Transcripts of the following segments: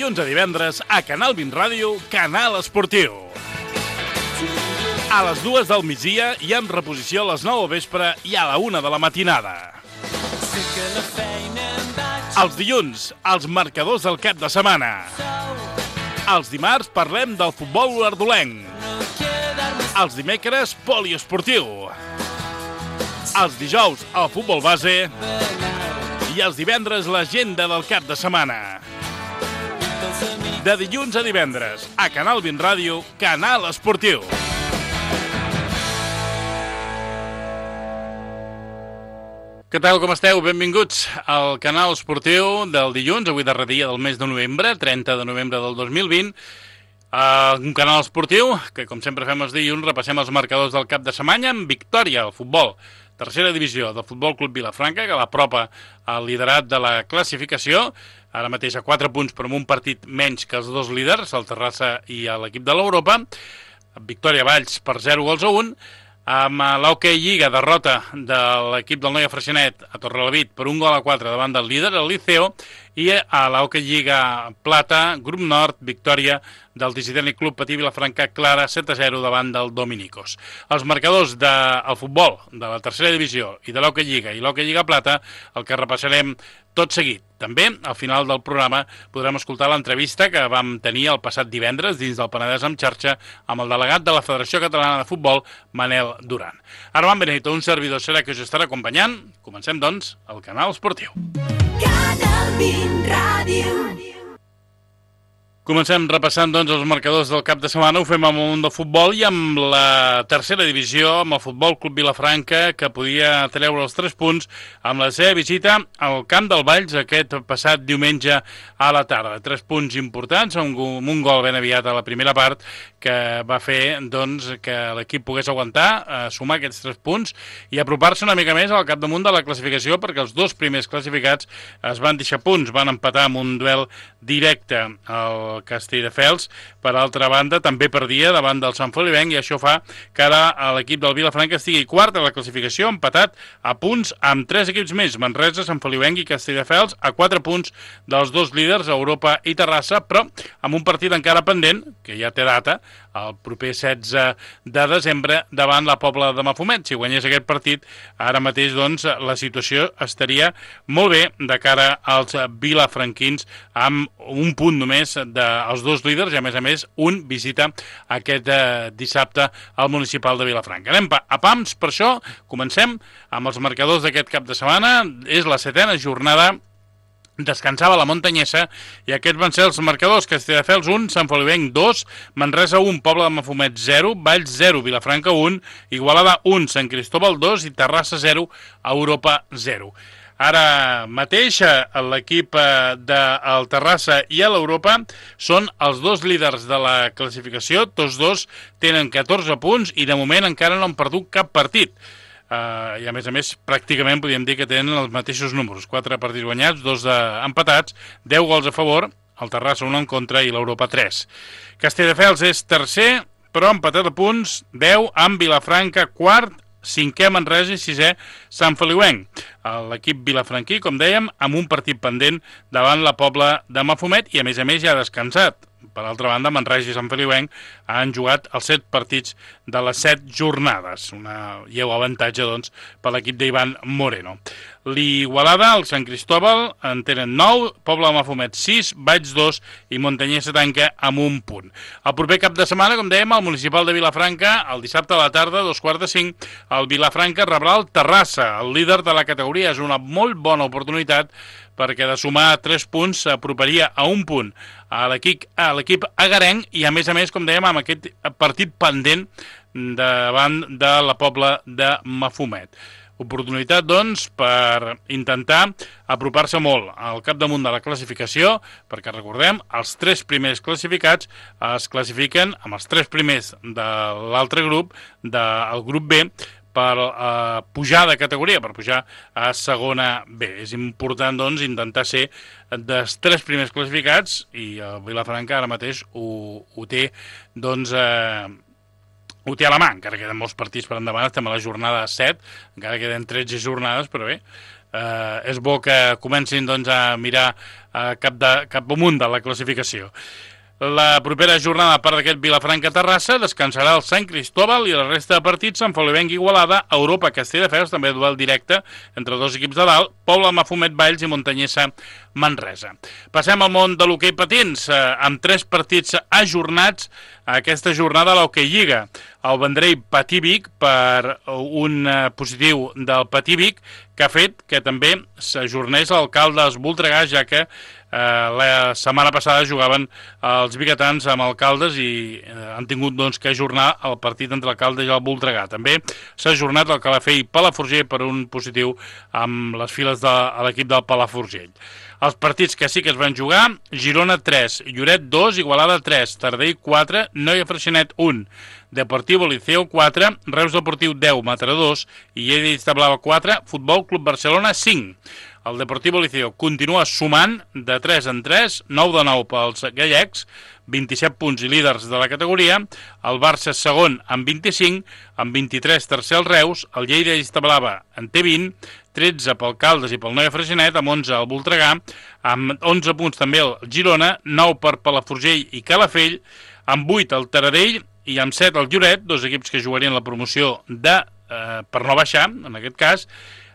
dilluns a divendres a Canal 20 Ràdio, Canal Esportiu. A les 2 del migdia i amb reposició a les 9 del vespre i a la 1 de la matinada. Els dilluns, els marcadors del cap de setmana. Els dimarts parlem del futbol olordolenc. Els dimecres, poliesportiu. Els dijous, el futbol base. I els divendres, l'agenda del cap de setmana. De dilluns a divendres, a Canal 20 Ràdio, Canal Esportiu. Què tal, com esteu? Benvinguts al Canal Esportiu del dilluns, avui darrer dia del mes de novembre, 30 de novembre del 2020. Un canal esportiu que, com sempre fem els dilluns, repassem els marcadors del cap de setmana amb victòria al futbol. Tercera divisió del Futbol Club Vilafranca, que l'apropa al liderat de la classificació, ara mateix a 4 punts, però amb un partit menys que els dos líders, el Terrassa i l'equip de l'Europa. Victòria a Valls per 0-1, amb l'Hockey Lliga, derrota de l'equip del Noia Freixenet a Torrelavit per 1-4 davant del líder, el Liceo, i a l'Hockey Lliga Plata, Grup Nord, victòria del Dissidènic Club Patí Vilafranca clara 7-0 davant del Dominicos. Els marcadors del futbol de la tercera divisió i de l'Hockey Lliga i l'Hockey Lliga Plata, el que repassarem tot seguit. També, al final del programa, podrem escoltar l'entrevista que vam tenir el passat divendres dins del Penedès en xarxa amb el delegat de la Federació Catalana de Futbol, Manel Duran. Armand Benito, un servidor serà que us estarà acompanyant. Comencem, doncs, el Canal Esportiu. Canal 20 Ràdio. Comencem repassant, doncs, els marcadors del cap de setmana. Ho fem amb el món del futbol i amb la tercera divisió, amb el Futbol Club Vilafranca, que podia treure els 3 punts amb la seva visita al Camp del Valls aquest passat diumenge a la tarda. 3 punts importants, amb un gol ben aviat a la primera part, que va fer, doncs, que l'equip pogués aguantar, sumar aquests 3 punts i apropar-se una mica més al capdamunt de la classificació, perquè els dos primers classificats es van deixar punts, van empatar amb un duel directe al Castelldefels. Per altra banda, també perdia davant del Sant Feliuenc, i això fa que ara l'equip del Vilafranca estigui quart a la classificació, empatat a punts amb 3 equips més, Manresa, Sant Feliuenc i Castelldefels, a 4 punts dels dos líders, Europa i Terrassa, però amb un partit encara pendent, que ja té data, el proper 16 de desembre, davant la Pobla de Mafumet. Si guanyés aquest partit, ara mateix, doncs, la situació estaria molt bé de cara als vilafranquins, amb un punt només dels dos líders, i a més, un visita aquest dissabte al municipal de Vilafranca. Anem a pams, per això comencem amb els marcadors d'aquest cap de setmana. És la 7ª jornada, descansava la Montanyesa, i aquests van ser els marcadors: Castelldefels 1, Sant Feliuenc 2, Manresa 1, Pobla de Mafumet 0, Valls 0, Vilafranca 1, Igualada 1, Sant Cristóbal 2 i Terrassa 0, Europa 0. Ara mateix l'equip del Terrassa i l'Europa són els dos líders de la classificació, tots dos tenen 14 punts i de moment encara no han perdut cap partit. I a més, pràcticament podríem dir que tenen els mateixos números: 4 partits guanyats, 2 empatats, 10 gols a favor, el Terrassa 1 en contra i l'Europa 3. Castelldefels és tercer, però empatat a punts, 10, amb Vilafranca quart, 5è Manresa i 6è Sant Feliuenc. L'equip vilafranquí, com dèiem, amb un partit pendent davant la Pobla de Mafumet, i a més ja ha descansat. Per altra banda, Manresa i Sant Feliuenc han jugat els 7 partits de les 7 jornades. Un lleu avantatge, doncs, per l'equip d'Ivan Moreno. L'Igualada, el Sant Cristóbal, en tenen 9, Pobla de Mafumet 6, Valls 2 i Montanyesa tanca amb un punt. El proper cap de setmana, com dèiem, al municipal de Vilafranca, el dissabte a la tarda, 2:45, el Vilafranca rebrà el Terrassa, el líder de la categoria. És una molt bona oportunitat, perquè de sumar 3 punts s'aproparia a un punt a l'equip agarenc, i a més, com dèiem, amb aquest partit pendent davant de la Pobla de Mafumet. Oportunitat, doncs, per intentar apropar-se molt al capdamunt de la classificació, perquè, recordem, els 3 primers classificats es classifiquen amb els 3 primers de l'altre grup, del grup B, per pujar de categoria, per pujar a segona B. És important, doncs, intentar ser dels 3 primers classificats, i el Vilafranca ara mateix ho té, doncs, ho té a la mà, encara queden molts partits per endavant, estem a la jornada 7, encara queden 13 jornades, però bé, és bo que comencin doncs, a mirar cap amunt de la classificació. La propera jornada, a part d'aquest Vilafranca-Terrassa, descansarà el Sant Cristóbal i la resta de partits Sant Feliuenc Igualada, Europa Castelldefels, també duel directe entre dos equips de dalt, Pobla Mafumet Valls i Montanyessa Manresa. Passem al món de l'hoquei patins, amb 3 partits ajornats aquesta jornada a l'Hoquei Lliga. El Vendrell Patí-Vic per un positiu del Patí-Vic que ha fet que també s'ajornés l'Alcaldes Voltregà, ja que la setmana passada jugaven els biguetans amb Alcaldes i han tingut doncs, que ajornar el partit entre Alcaldes i el Voltregà. També s'ha ajornat el Calafell Palafrugell per un positiu amb les files de l'equip del Palafrugell. Els partits que sí que es van jugar: Girona 3, Lloret 2, Igualada 3, Tardell 4, Noia Freixenet 1, Deportivo Liceo 4, Reus Deportiu 10, Mataró 2 i Lleida Istablava 4, Futbol Club Barcelona 5. El Deportivo Liceo continua sumant de 3 en 3, 9 de 9 pels gallecs, 27 punts i líders de la categoria. El Barça segon amb 25, amb 23 tercer el Reus, el Lleida Istablava en té 20, 13 pel Caldes i pel Noia Freixenet, amb 11 el Voltregà, amb 11 punts també el Girona, 9 per Palafrugell i Calafell, amb 8 el Taradell i amb 7 el Lloret, dos equips que jugarien la promoció per no baixar, en aquest cas,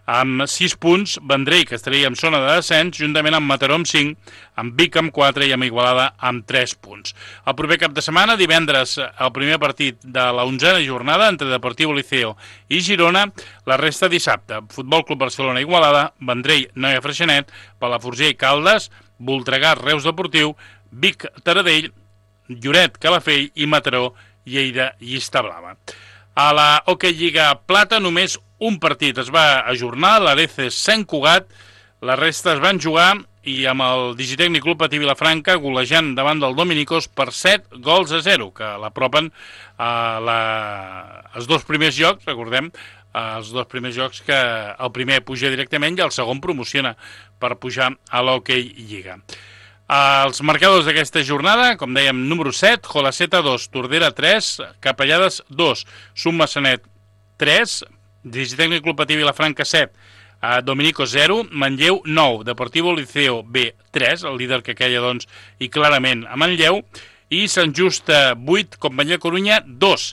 amb 6 punts, Vendrell, que estaria en zona de descens, juntament amb Mataró amb 5, amb Vic amb 4 i amb Igualada amb 3 punts. El proper cap de setmana, divendres, el primer partit de la 11a jornada entre Deportivo Liceo i Girona, la resta dissabte. Futbol Club Barcelona Igualada, Vendrell, Noia Freixenet, Palafrugell Caldes, Voltregà Reus Deportiu, Vic Taradell, Lloret Calafell i Mataró Lleida i Istablava. A la Hoquei Lliga Plata només un partit es va ajornar, l'Areces Sant Cugat, la resta es van jugar i amb el Digitècnic Club Patí Vilafranca golejant davant del Dominicos per 7-0, que l'apropen als dos primers jocs, recordem, els dos primers jocs que el primer puja directament i el segon promociona per pujar a l'Hoquei Lliga. Els marcadors d'aquesta jornada, com dèiem, número 7, Jolaceta 2, Tordera 3, Capellades 2, Summassanet 3, Digitècnic Club Patí Vilafranca 7, Dominico 0, Manlleu 9, Deportivo Liceo B 3, el líder que queia doncs i clarament a Manlleu, i Sant Just 8, Companyia Corunya 2.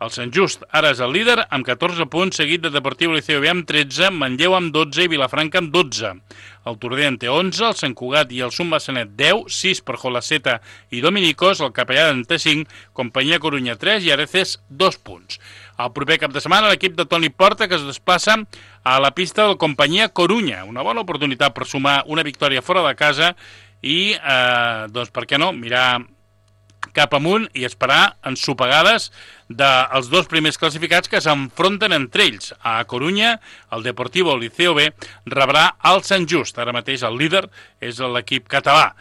El Sant Just ara és el líder amb 14 punts, seguit de Deportivo Liceo B amb 13, Manlleu amb 12 i Vilafranca amb 12. El Tordera en té 11, el Sant Cugat i el Summassanet 10, 6 per Jolaceta i Dominicos, el Capellada en té 5, Companyia Corunya 3 i Areces 2 punts. El proper cap de setmana l'equip de Toni Porta que es desplaça a la pista del Companyia Corunya. Una bona oportunitat per sumar una victòria fora de casa i, doncs, per què no, mirar cap amunt i esperar ensopegades dels dos primers classificats que s'enfronten entre ells. A Corunya, el Deportivo Liceo B rebrà el Sant Just. Ara mateix el líder és l'equip català.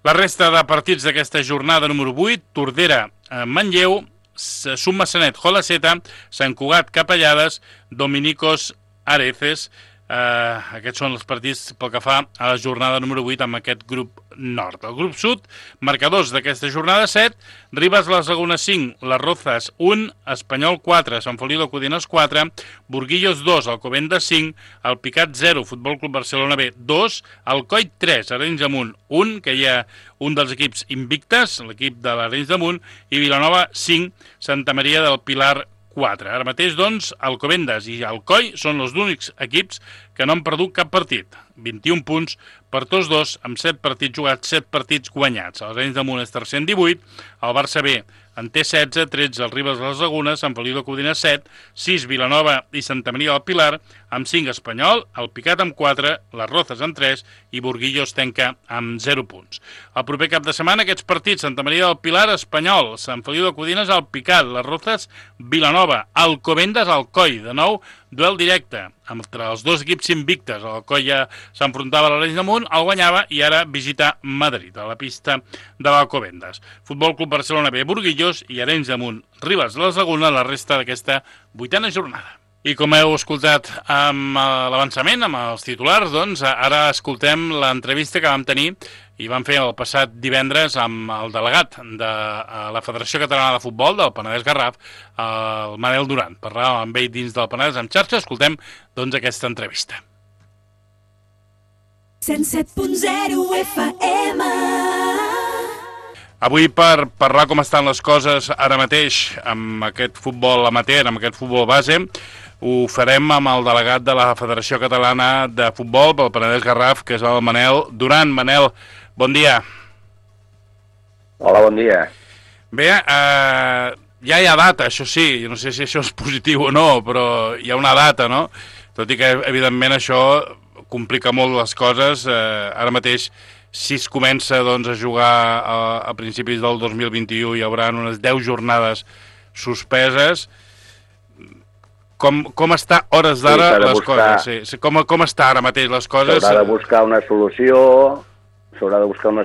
La resta de partits d'aquesta jornada número 8, Tordera, Manlleu, Summassanet, Jolaceta, Sant Cugat, Capellades, Dominicos, Areces. Aquests són els partits pel que fa a la jornada número 8 amb aquest grup nord. El grup sud, marcadors d'aquesta jornada 7, Ribes les Lagunes 5, Les Rozas 1, Espanyol 4, Sant Feliu de Codines 4, Burguillos 2, Alcobendas 5, El Picat 0, Futbol Club Barcelona B 2, Alcoi 3, Arenys de Munt 1, que hi ha un dels equips invictes, l'equip de l'Arenys de Munt, i Vilanova 5, Santa Maria del Pilar 4. Ara mateix, doncs, Alcobendas i Alcoi són els únics equips que no han perdut cap partit. 21 punts per tots dos, amb 7 partits jugats, 7 partits guanyats. El Arenys de Munt és tercer en 18, el Barça B en té 16, 13 el Ribes de les Lagunes, Sant Feliu de Codines 7, 6 Vilanova i Santa Maria del Pilar, amb 5 Espanyol, el Picat amb 4, Les Rozas amb 3 i Burguillos tanca amb 0 punts. El proper cap de setmana aquests partits, Santa Maria del Pilar, Espanyol, Sant Feliu de Codines, el Picat, Les Rozas, Vilanova, Alcobendas, Alcoi, de nou, duel directe entre els dos equips invictes. Alcoi ja s'enfrontava a l'Arenys de Munt, el guanyava i ara visita Madrid, a la pista de l'Alcobendas. Futbol Club Barcelona B, Burguillos i Arenys de Munt, Ribes de les Lagunes, la resta d'aquesta 8a jornada. I com heu escoltat amb l'avançament, amb els titulars, doncs ara escoltem l'entrevista que vam tenir i van fer el passat divendres amb el delegat de la Federació Catalana de Futbol del Penedès Garraf, el Manel Duran. Parlàvem amb ell dins del Penedès en xarxa, escoltem doncs aquesta entrevista. 107.0 FM. Avui per parlar com estan les coses ara mateix amb aquest futbol amateur, amb aquest futbol base, ho farem amb el delegat de la Federació Catalana de Futbol pel Penedès Garraf, que és el Manel Duran. Manel, bon dia. Hola, bon dia. Bé, ja hi ha data, això sí, no sé si això és positiu o no, però hi ha una data, no? Tot i que, evidentment, això complica molt les coses. Ara mateix, si es comença doncs, a jugar a principis del 2021, hi haurà unes 10 jornades suspeses. Com està hores d'ara les coses? Sí. Com està ara mateix les coses? S'haurà de buscar una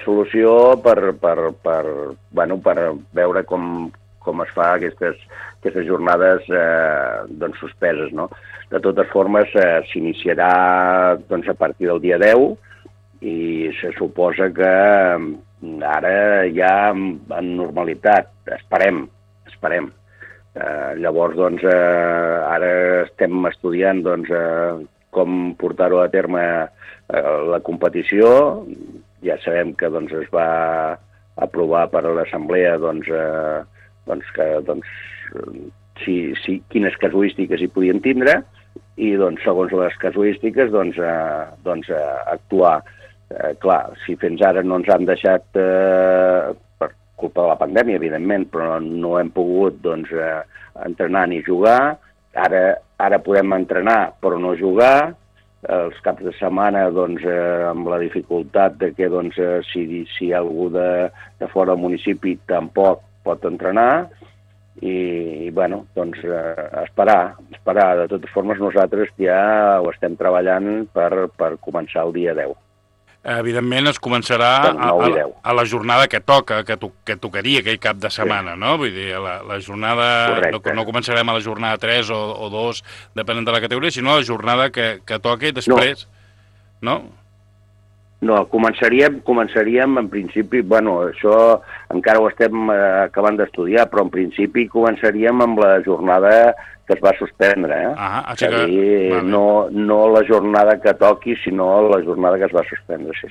solució, per veure com es fa aquestes jornades doncs, suspeses, no? De totes formes, s'iniciarà doncs, a partir del dia 10 i se suposa que ara ja en normalitat, esperem. Llavors, doncs, ara estem estudiant doncs, com portar-ho a terme la competició. Ja sabem que doncs, es va aprovar per l'Assemblea quines casuístiques hi podien tindre i doncs, segons les casuístiques actuar. Clar, si fins ara no ens han deixat per culpa de la pandèmia, evidentment, però no hem pogut doncs, entrenar ni jugar. Ara podem entrenar però no jugar. Els caps de setmana doncs, amb la dificultat de que doncs, si hi ha algú de fora del municipi tampoc pot entrenar i bueno, doncs, esperar. De totes formes, nosaltres ja ho estem treballant per començar el dia 10. Evidentment es començarà a la jornada que toca, que tocaria aquell cap de setmana, sí. No? Vull dir, la jornada... No començarem a la jornada 3 o 2, depenent de la categoria, sinó a la jornada que toca i després... No? No, començaríem en principi... Bueno, això encara ho estem acabant d'estudiar, però en principi començaríem amb la jornada que es va suspendre, és a dir, no la jornada que toqui, sinó la jornada que es va suspendre, sí.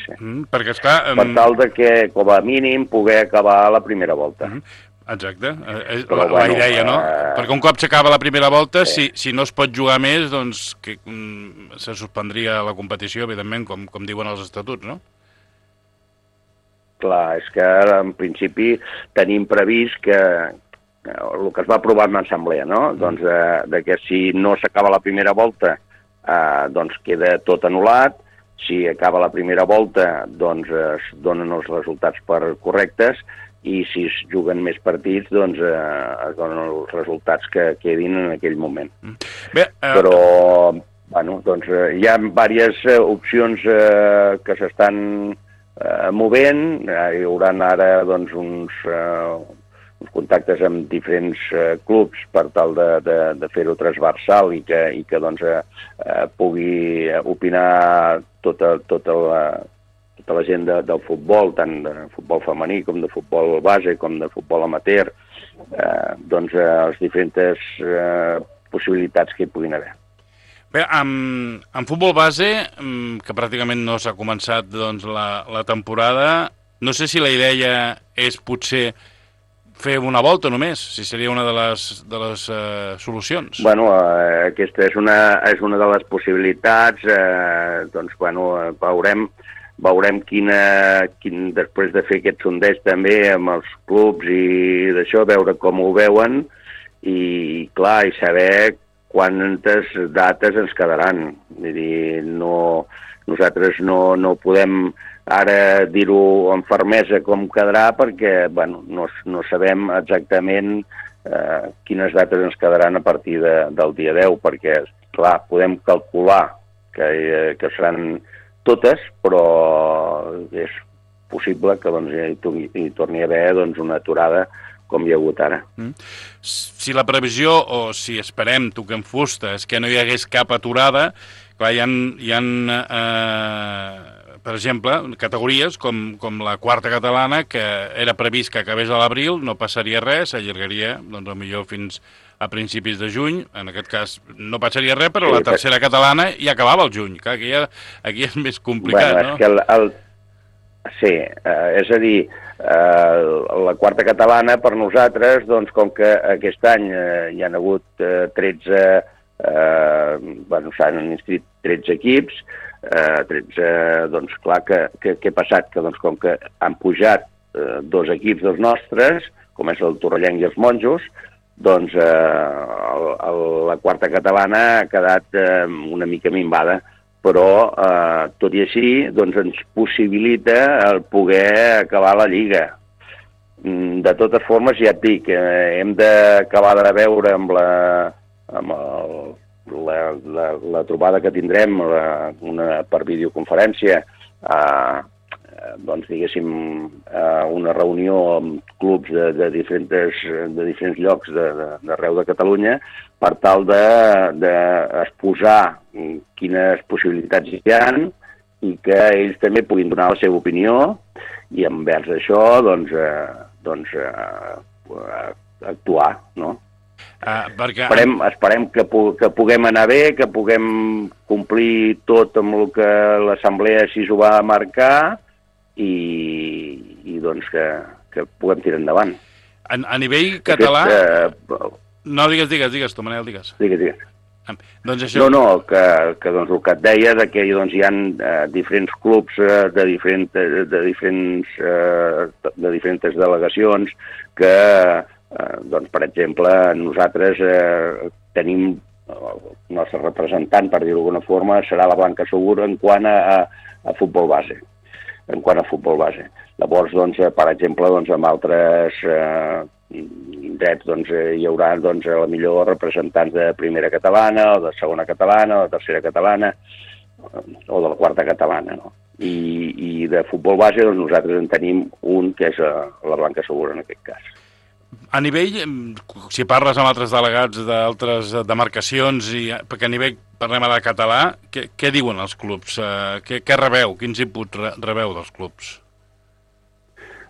Perquè esclar... Per tal de que, com a mínim, poder acabar la primera volta. Exacte, la idea, no? Perquè un cop s'acaba la primera volta, si no es pot jugar més, doncs se suspendria la competició, evidentment, com diuen els estatuts, no? Clar, és que en principi tenim previst que el que es va aprovar en l'assemblea, no? Doncs de que si no s'acaba la primera volta, doncs queda tot anul·lat. Si acaba la primera volta, doncs es donen els resultats per correctes i si es juguen més partits, doncs es donen els resultats que quedin en aquell moment. Però, bueno, doncs hi ha diverses opcions que s'estan movent. Hi haurà ara doncs uns contactes amb diferents clubs per tal de fer-ho transversal i que doncs, pugui opinar tota la gent del futbol, tant de futbol femení com de futbol base, com de futbol amateur, doncs les diferents possibilitats que hi puguin haver. Bé, en futbol base, que pràcticament no s'ha començat doncs, la temporada, no sé si la idea és potser fer una volta només, si seria una de les solucions. Bueno, aquesta és una de les possibilitats. Doncs, bueno, veurem quin, després de fer aquest sondeig també amb els clubs i d'això, veure com ho veuen i, clar, i saber quantes dates ens quedaran. Vull dir, nosaltres no podem ara dir-ho amb fermesa com quedarà perquè bueno, no sabem exactament quines dates ens quedaran a partir del dia 10, perquè, clar, podem calcular que seran totes, però és possible que doncs, hi torni a haver doncs, una aturada com hi ha hagut ara. Si la previsió, o si esperem, toquem fusta, és que no hi hagués cap aturada, clar, hi ha per exemple, categories com la quarta catalana, que era previst que acabés a l'abril, no passaria res, s'allargaria, doncs, millor fins a principis de juny. En aquest cas no passaria res, però la tercera catalana ja acabava el juny. Clar, aquí és més complicat, no? És que sí, és a dir, la quarta catalana per nosaltres, doncs com que aquest any hi han hagut 13, s'han inscrit 13 equips, 13, doncs clar, què ha passat? Que doncs com que han pujat 2 equips dels nostres, com és el Torrellenc i els Monjos, doncs la quarta catalana ha quedat una mica minvada, però tot i així doncs ens possibilita el poder acabar la Lliga. De totes formes, ja et dic, hem d'acabar de veure amb la trobada que tindrem per videoconferència, doncs diguéssim una reunió amb clubs de diferents llocs d'arreu de Catalunya per tal d'exposar quines possibilitats hi ha i que ells també puguin donar la seva opinió i envers això doncs actuar, no? Esperem que puguem anar bé, que puguem complir tot amb el que l'Assemblea així ho va marcar i doncs que puguem tirar endavant. A nivell català... No, digues tu, Manel, digues. Digues. Doncs això... No, que doncs el que et deia que doncs hi ha diferents clubs de diferents delegacions que, doncs, per exemple, nosaltres tenim el nostre representant, per dir-ho d'alguna forma, serà la Blanca Segur en quant a futbol base. Llavors, doncs, per exemple, doncs, amb altres indrets doncs, hi haurà doncs, a la millor representants de primera catalana, o de segona catalana, o de tercera catalana, o de la quarta catalana, no? I de futbol base doncs, nosaltres en tenim un, que és la Blanca Segur en aquest cas. A nivell, si parles amb altres delegats d'altres demarcacions, perquè a nivell parlem ara de català, què diuen els clubs? Què rebeu? Quins inputs rebeu dels clubs?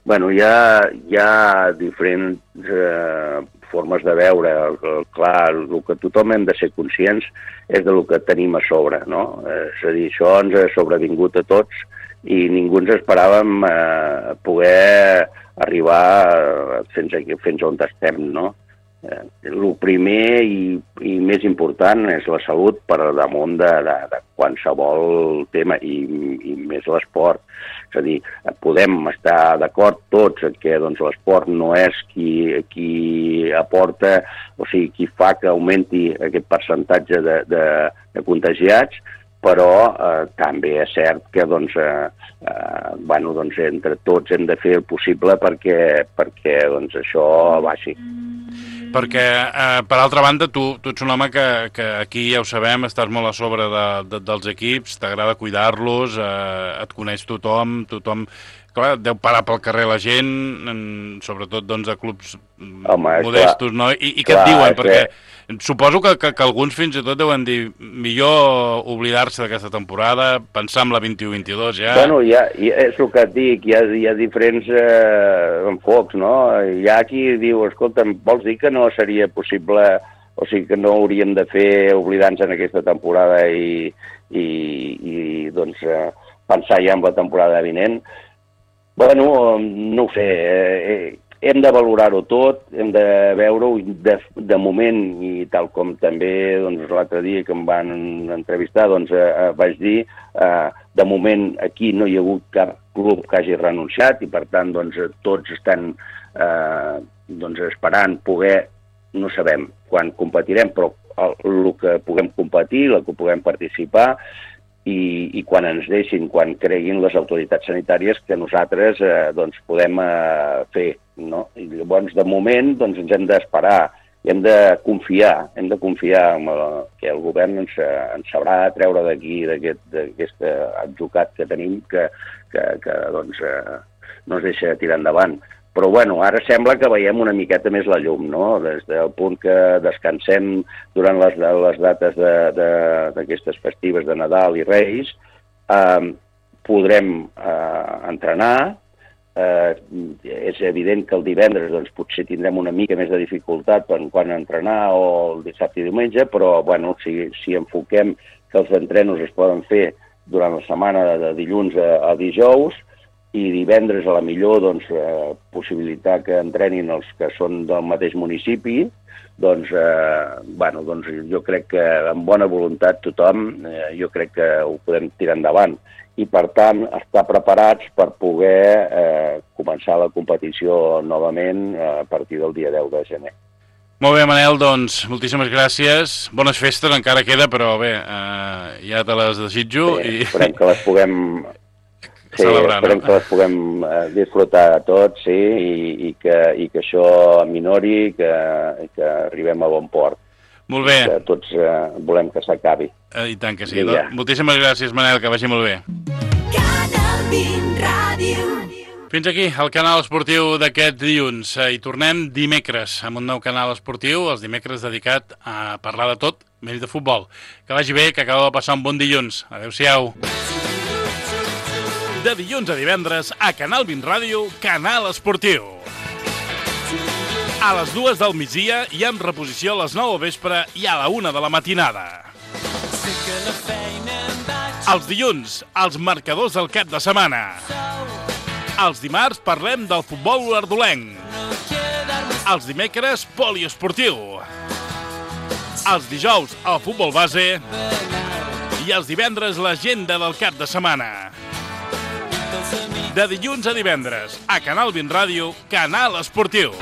Bueno, hi ha diferents formes de veure. Clar, el que tothom hem de ser conscients és del que tenim a sobre, no? És a dir, això ens ha sobrevingut a tots i ningú ens esperàvem poder arribar fins on estem, no? El primer i més important és la salut per damunt de qualsevol tema i més l'esport. És a dir, podem estar d'acord tots que doncs, l'esport no és qui aporta, o sigui, qui fa que augmenti aquest percentatge de contagiats, però també és cert que doncs, entre tots hem de fer el possible perquè doncs, això baixi. Perquè, per altra banda, tu ets un home que aquí, ja ho sabem, estàs molt a sobre dels equips, t'agrada cuidar-los, et coneix tothom, clar, deu parar pel carrer la gent, sobretot doncs, a clubs modestos, no? I què et diuen? Perquè suposo que alguns fins i tot deuen dir millor oblidar-se d'aquesta temporada, pensar en la 21-22 ja. Bueno, és el que et dic, hi ha diferents enfocs, no? Hi ha qui diu, escolta, vols dir que no seria possible, o sigui que no hauríem de fer oblidar-nos en aquesta temporada i doncs pensar ja en la temporada vinent? Bueno, no ho sé, hem de valorar-ho tot, hem de veure-ho de moment, i tal com també doncs, l'altre dia que em van entrevistar doncs, vaig dir, de moment aquí no hi ha hagut cap club que hagi renunciat i per tant doncs, tots estan esperant poder, no sabem quan competirem, però el que puguem competir, el que puguem participar, i quan ens deixin, quan creguin les autoritats sanitàries que nosaltres doncs, podem fer, no? I llavors, de moment, doncs, ens hem d'esperar, hem de confiar en que el govern ens sabrà treure d'aquí, d'aquest atzucat que tenim, que doncs, no ens deixa tirar endavant. Però, bueno, ara sembla que veiem una miqueta més la llum, no? Des del punt que descansem durant les dates d'aquestes festives de Nadal i Reis, podrem entrenar. És evident que el divendres doncs, potser tindrem una mica més de dificultat quan entrenar o el dissabte i diumenge, però bueno, si enfoquem que els entrenos es poden fer durant la setmana de dilluns a dijous i divendres a la millor doncs, possibilitar que entrenin els que són del mateix municipi, doncs, doncs jo crec que amb bona voluntat tothom, jo crec que ho podem tirar endavant. I, per tant, estar preparats per poder començar la competició novament a partir del dia 10 de gener. Molt bé, Manel, doncs, moltíssimes gràcies. Bones festes, encara queda, però bé, ja te les desitjo. Sí, esperem que les puguem... celebrar, esperem que les puguem disfrutar tots, sí, i que això minori, que arribem a bon port. Molt bé. Que tots volem que s'acabi. I tant que sí. Moltíssimes gràcies, Manel, que vagi molt bé. Canal 20 Ràdio. Fins aquí el canal esportiu d'aquest dilluns. I tornem dimecres amb un nou canal esportiu, els dimecres dedicat a parlar de tot, menys de futbol. Que vagi bé, que acabeu de passar un bon dilluns. Adéu-siau. De dilluns a divendres, a Canal 20 Ràdio, Canal Esportiu. A les 2 del migdia i amb reposició a les 9 del vespre i a la 1 de la matinada. Els dilluns, els marcadors del cap de setmana. Els dimarts parlem del futbol olordolenc. Els dimecres, poliesportiu. Els dijous, el futbol base. I els divendres, l'agenda del cap de setmana. De dilluns a divendres, a Canal 20 Ràdio, Canal Esportiu.